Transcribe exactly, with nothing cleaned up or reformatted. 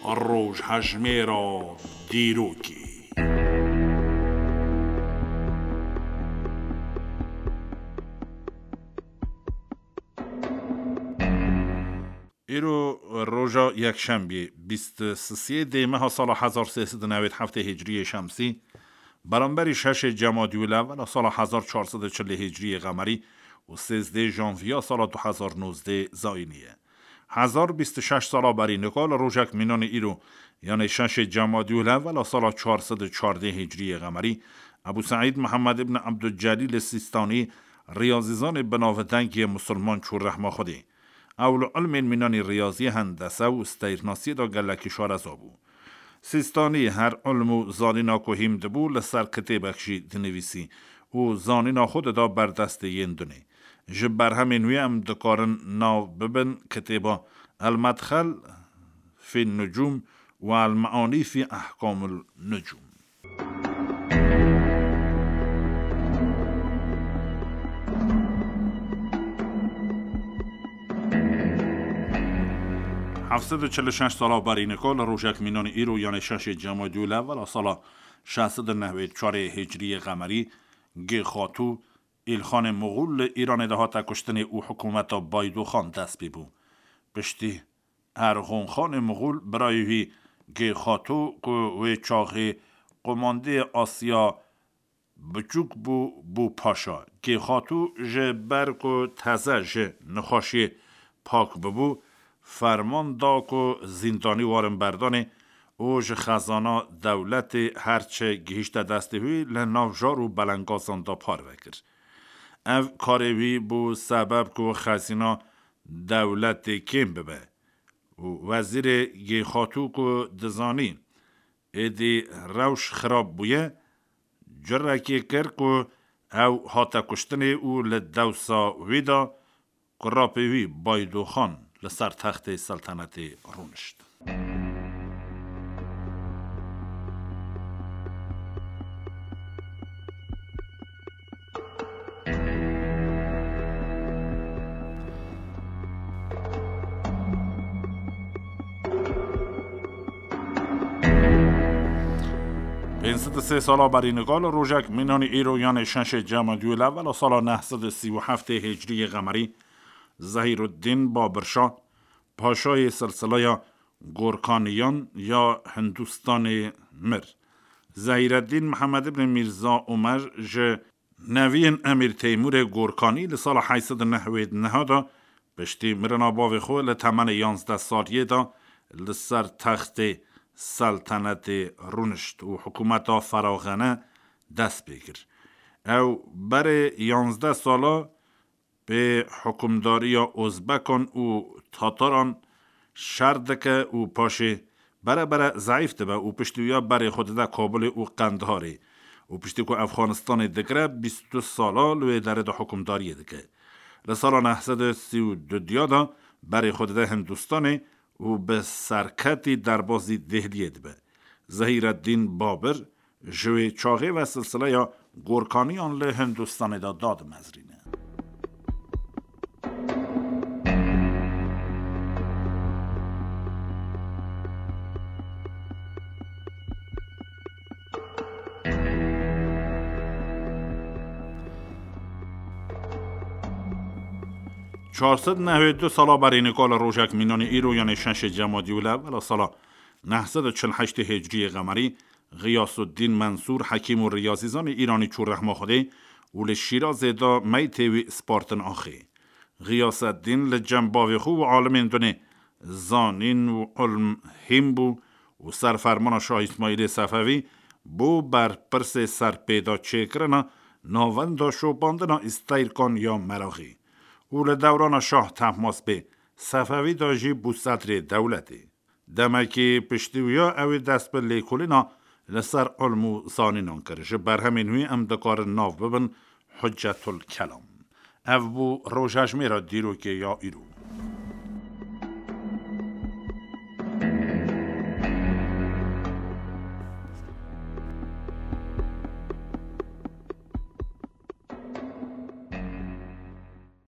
Rojhejmêra dîrokê. Îro roja yekşembiyê, bîst û sisê dê meha sala hezar sê sed û newêd heftê hicriyê şemsî, beramberî şeşê Cemadî û Lewela sala hezar çar sed û çilê hicriyê qemerî û sêzdê janviya sala du hezar nozdê zayînî ye. Hezar bîst û şeş sala berî nika li rojek mînanê îro, yanê şeşê Cemadî û Lewela sala çar sed û çardê hicriyê qemerî, Ebû Seîd Mihemed ibn Ebdulcelîl Sîstanî, riyazîzanê binavdeng yê misilman çû rehma Xwedê. Ew li ilmên mînanî riyazî, hendese û steyrnasiyê de gelekî şareza bû. Sîstanî her ilm û zanîna ku hîm dibû, li ser kitêbek jî dinivîsî û zanîna xwe dida ber destê yên dunê. Ji berhemên wî em dikarin nav bibin kitêba El-Medxel fî Nucûm û El-Meanî fî Ehkamul Nucûm. Heft sed û çil û şeş sala berî nika li rojek mînanî îro, yanê şeşê Cemadî û Lewela sala şeş sed û newêd çarê hicriyê qemerî, Gê Xatû, Îlxanê Moxûl li Îranê de hate kuştinê û hikûmeta Baydoxan dest pê bû. Piştî Erxonxanê Moxûl, birayê wî Gê Xatû ku wê çaxê qumandê Asya Biçûk bû, bû paşa. Gê Xatû ji ber ku teze ji nexweşiyê pak bibû, ferman da ku zîndanî warin berdanê û ji xezana dewletê her çi gihîşte destê wî, li nav jar û belengazan de parve kir. Ev karê wî bû sebeb ku xezîna dewletê kêm bibe û wezîrê Gê Xatû ku dizanî êdî rewş xirab bûye, curekê kir ku ew hate kuştinê û li dewsa wî de kurapê wî Baydoxan li ser textê seltenetê rûnişt. Pênc sed û sê sala berî nika li rojek mînanî îro, yanê şeşê Cemadî û Lewela sala neh sed û sî û heftê hicriyê qemerî, Zehîruddîn Babirşa, paşayê silsileya Gorkaniyan ya Hindustanê mir. Zehîreddîn Mihemed ibn Mîrza Omer ji neviyên Emîr Teymûrê Gorkanî li sala heyt sed û newêd neh de, piştî mirina bavê xwe, li temenê yanzdeh saliyê de li ser textê seltenetê rûnişt û hikûmeta feraxane dest pê kir. Ew berê yanzdeh sala pê hukimdariya Ozbekan û Tataran şer dike û paşê bere bere zeîf dibe û piştî wiya berê xwe dide Kabulê û Qendiharê û piştî ku Efxanistanê digire, bîst û du sala li wê derê de hukimdariyê dike. Li sala neh sed û sî û du diya de berê xwe dide Hindistanê û bi serketî derbazî Dêhliyê dibe. Zehîreddîn Babir ji wê çaxê ve silsileya Gorkaniyan li Hindistanê de dadimezrîne. Çar sed nehwê du sala berî nika li rojek mînanî îro, yanê şeşê Cemadî û Lewela sala neh sed û çil heştê hicriyê qemerî, Xiyasuddîn Mensûr, hekîm û riyazîzanê îranî çû rehma Xwedê û li Şîrazê de meytê wî spartin axê. Xiyaseddîn li cem bavê xwe û alimên dunê zanîn û ilm hîn bû û ser fermana Şah Îsmaîlê Sefevî bû berpirsê serpêda çêkirina navenda şopandina îsteyrkan ya Meraxî û li dewrana Şah Tehmasbê Sefevî de jî bû sedrê dewletê. Demekî piştî wiya ew ê dest bi lêkolîna li ser ilm û zanînan kir. Ji berhemên wî em dikarin nav bibin Hucetul Kelam. Ev bû rojejmêra dîrokê ya îro.